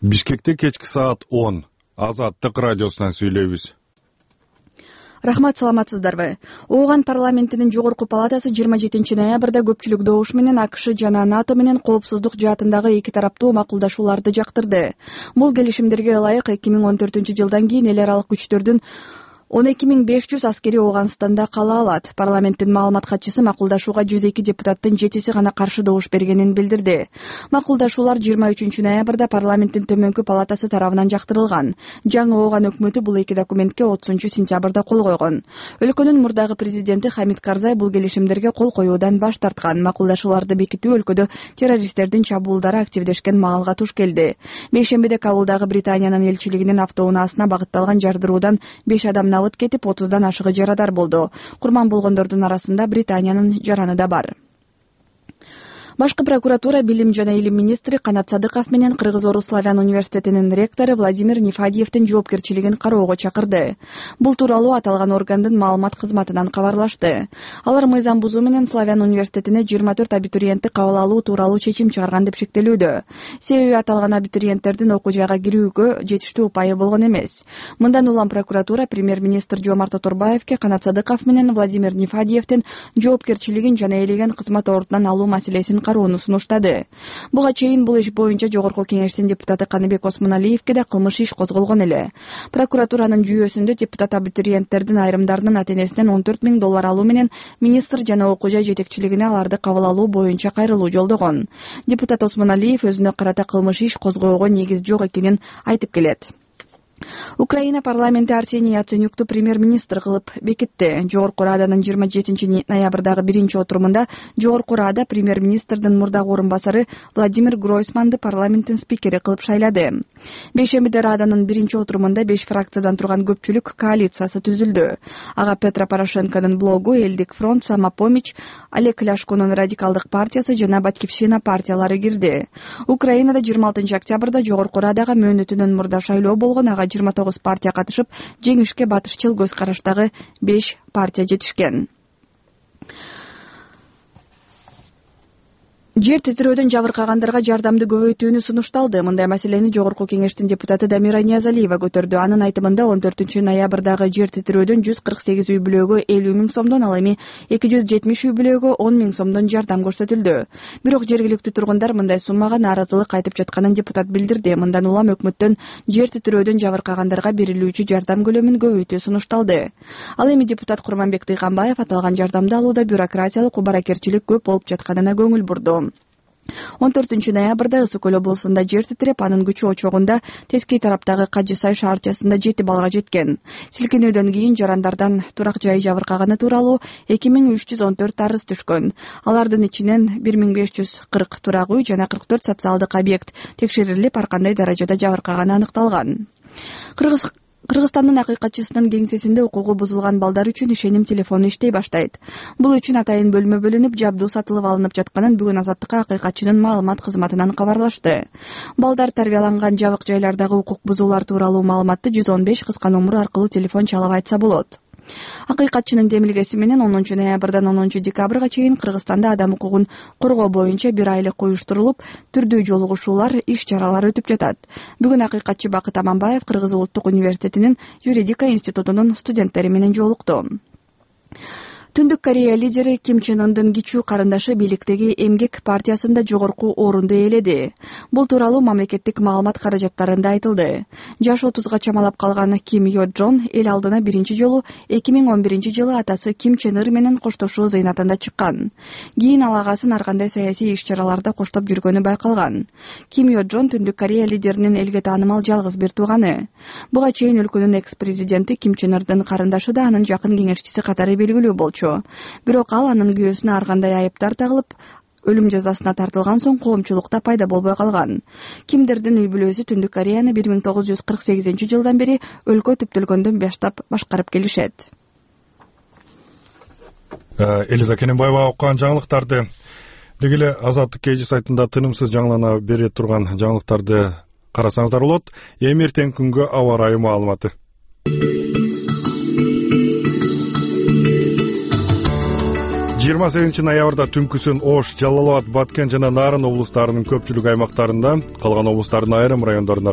Бишкекте кечки саат 10 Азаттык радиосунан сүйлөйбүз. Рахмат, саламатсыздарбы? Ооган парламентинин жогорку палатасы 27 ноябрда көпчүлүк добуш менен АКШ жана НАТО менен коопсуздук жаатындагы эки тараптуу макулдашууларды жактырды. Бул келишимдерге ылайык 2014-жылдан кийин эл аралык күчтөрдүн 12500 аскери Ооганстанда кала алат. Парламенттин маалымат катчысы макулдашууга 102 депутаттын 7-си гана каршы добуш бергенин билдирди. Макулдашуулар 23 ноябрда парламенттин төмөнкү палатасы тарабынан жактырылган. Жаңы Ооган өкмөтү бул эки документке 30-сентябрда кол койгон. Өлкөнүн мурдагы президенти Хамид Карзай бул келишимдерге кол коюудан баш тарткан. Макулдашууларды бекитүү өлкөдө террористтердин чабуулдары активдешкен маалга туш келди. Бейшембиде Кабулдагы Британиянын элчилигинин автоунаасына багытталган жардыруудан 5 адам кетип 30дан ашыгы жарадар болду. Курман болгондордун арасында Британиянын жараны да бар. Башкы прокуратура билим жана илим министри Канат Садыков менен Кыргыз-Орус славян университетинин ректору Владимир Нефадиевдин жоопкерчилигин кароого чакырды. Бул тууралуу аталган органдын маалымат кызматынан кабарлашты. Алар мыйзам бузуу менен славян университетине 24 абитуриентти кабыл алуу тууралуу чечим чыгарган деп шектелүүдө. Себеби аталган абитуриенттердин окуу жайга кирүүгө жетиштүү упайы болгон эмес. Мындан улам прокуратура премьер-министр Жомарт Оторбаевке Канат Садыков менен Владимир Нефадиевдин жоопкерчилигин жана ээлеген кызмат ордунан алуу маселесин кароону сунуштады. Буга чейин бул иш боюнча Жогорку кеңештин депутаты Каныбек Осмоналиевке да кылмыш иш козголгон эле. Прокуратуранын жүйөсүндө депутат абитуриенттердин айрымдарынын ата-энесинен $14,000 алуу менен министр жана окуу жай жетекчилигине аларды кабыл алуу боюнча кайрылуу жолдогон. Депутат Осмоналиев өзүнө карата кылмыш иш козгоого негиз жок экенин айтып келет. Украина парламенти Арсений Яценюкту премьер-министр кылып бекитти. Жогорку Раданын 27 ноябрдагы биринчи отурумунда Жогорку Рада премьер-министрдин мурдагы орун басары Владимир Гройсманды парламенттин спикери кылып шайлады. Бейшембиде Раданын биринчи отурумунда 5 фракциядан турган көпчүлүк коалициясы түзүлдү. Ага Петро Порошенконун блогу, Элдик фронт, Самопомощь, Олег Ляшконун радикалдык партиясы жана Батькивщина партиялары кирди. Украинада 26 октябрда Жогорку Радага мөөнөтүнөн мурда шайлоо болгон. Ага 29 партия катышып, жеңишке батышчыл көз караштагы 5 партия жетишкен. Жер титирөөдөн жабыркагандарга жардамды көбөйтүүнү сунушталды. Мындай маселени Жогорку кеңештин депутаты Дамира Ниязалиева көтөрдү. Анын айтымында 14 ноябрдагы жер титирөөдөн 148 үй бүлөгө 50 000 сомдон, ал эми 270 үй бүлөгө 10 000 сомдон жардам көрсөтүлдү. Бирок жергиликтүү тургундар мындай суммага нааразылык айтып жатканын депутат билдирди. Мындан улам өкмөттөн жер титирөөдөн жабыркагандарга берилүүчү жардам көлөмүн көбөйтүү сунушталды. Ал эми депутат Курманбек Тыйганбаев аталган жардамды алууда бюрократиялык убаракерчилик көп болуп жатканына көңүл бурду. 14 ноябрда Ысык Көл облусунда жер титиреп, анын күчү очогунда тескей тараптагы Кажысай шаарчасында 7 балга жеткен. Силкинүүдөн кийин жарандардан турак жай жабыркаганы тууралуу 2314 арыз түшкөн. Алардын ичинен 1540 турак үй жана 44 социалдык объект текшерилип, ар кандай даражада жабыркаганы аныкталган. Кыргызстандын акыйкатчысынын кеңсесинде укугу бузулган балдар үчүн ишеним телефону иштей баштайт. Бул үчүн атайын бөлмө бөлүнүп, жабдуу сатылып алынып жатканын бүгүн Азаттыкка акыйкатчынын маалымат кызматынан кабарлашты. Балдар тарбияланган жабык жайлардагы укук бузуулар тууралуу маалыматты 115 кыска номуру аркылуу телефон чалып айтса болот. Акыйкатчынын демилгеси менен 10 ноябрдан 10 декабрга чейин Кыргызстанда адам укугун коргоо боюнча 1 айлык уюштурулуп, түрдүү жолугушуулар, иш-чаралар өтүп жатат. Бүгүн акыйкатчы Бакыт Аманбаев Кыргыз улуттук университетинин юридика институтунун студенттери менен жолукту. Түндүк Корея лидери Ким Чен Ындын кичүү карындашы бийликтеги Эмгек партиясында жогорку орунду ээледи. Бул тууралуу мамлекеттик маалымат каражаттарында айтылды. Жашы 30га чамалап калган Ким Йо Джон эл алдына биринчи жолу 2011-жылы атасы Ким Чен Ыр менен коштошуу зыйнатында чыккан. Кийин ал агасын ар кандай саясий иш-чараларда коштоп жүргөнү байкалган. Ким Йо Джон Түндүк Корея лидеринин элге таанымал жалгыз бир тууганы. Буга чейин өлкөнүн экс-президенти Ким Чен Ырдын карындашы да анын жакын кеңешчиси катары белгилүү болчу. Бирок ал анын күйөөсүнө ар кандай айыптар тагылып, өлүм жазасына тартылган соң коомчулукта пайда болбой калган. Кимдердин үй бүлөсү Түндүк Кореяны 1948-жылдан бери өлкө түптөлгөндөн баштап башкарып келишет. Элиза Кененбаева окуган жаңылыктарды деги эле Азаттык KG сайтында тынымсыз жаңылана бере турган жаңылыктарды карасаңыздар болот. Эми эртең күнгө аба ырайы маалыматы. 28 ноябрда түнкүсүн Ош, Жалал абад, Баткен жана Нарын облустарынын көпчүлүк аймактарында, калган облустардын айрым райондорунда